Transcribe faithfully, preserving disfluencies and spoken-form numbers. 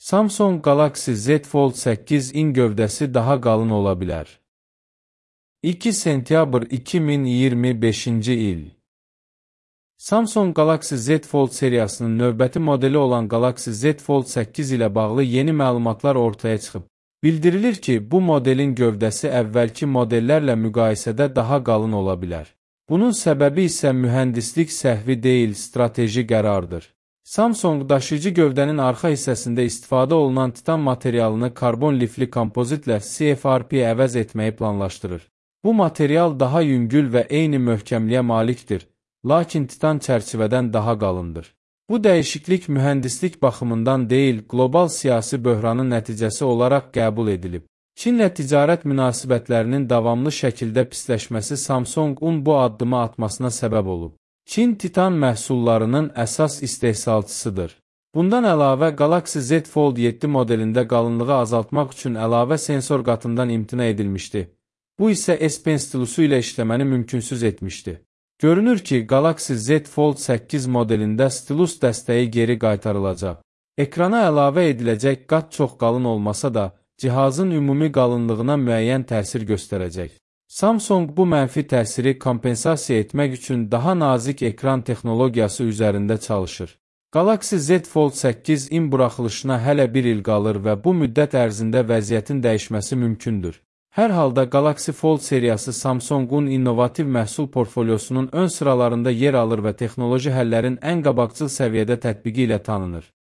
Samsung Galaxy Z Fold səkkiz in gövdəsi daha qalın ola bilər. iki sentyabr iki min iyirmi beşinci il. Samsung Galaxy Z Fold seriyasının növbəti modeli olan Galaxy Z Fold səkkiz ilə bağlı yeni məlumatlar ortaya çıxıb. Bildirilir ki, bu modelin gövdəsi əvvəlki modellərlə müqayisədə daha qalın ola bilər. Bunun səbəbi isə mühəndislik səhvi deyil, strateji qərardır. Samsung daşıyıcı gövdənin arxa hissəsində istifadə olunan titan materialını karbon lifli kompozitlə C F R P əvəz etməyi planlaşdırır. Bu material daha yüngül və eyni möhkəmliyə malikdir, lakin titan çərçivədən daha qalındır. Bu dəyişiklik mühəndislik baxımından deyil, qlobal siyasi böhranın nəticəsi olaraq qəbul edilib. Çinlə ticarət münasibətlərinin davamlı şəkildə pisləşməsi Samsungun bu addımı atmasına səbəb olub. Çin titan məhsullarının əsas istehsalçısıdır. Bundan əlavə, Galaxy Z Fold yeddi modelində qalınlığı azaltmaq üçün əlavə sensor qatından imtina edilmişdi. Bu isə S Pen stilusu ilə işləməni mümkünsüz etmişdi. Görünür ki, Galaxy Z Fold səkkiz modelində stilus dəstəyi geri qaytarılacaq. Ekrana əlavə ediləcək qat çox qalın olmasa da, cihazın ümumi qalınlığına müəyyən təsir göstərəcək. Samsung bu mənfi təsiri kompensasiya etmək üçün daha nazik ekran texnologiyası üzərində çalışır. Galaxy Z Fold səkkiz in buraxılışına hələ bir il qalır və bu müddət ərzində vəziyyətin dəyişməsi mümkündür. Hər halda Galaxy Fold seriyası Samsungun innovativ məhsul portfolyosunun ön sıralarında yer alır və texnoloji həllərin ən qabaqcıl səviyyədə tətbiqi ilə tanınır.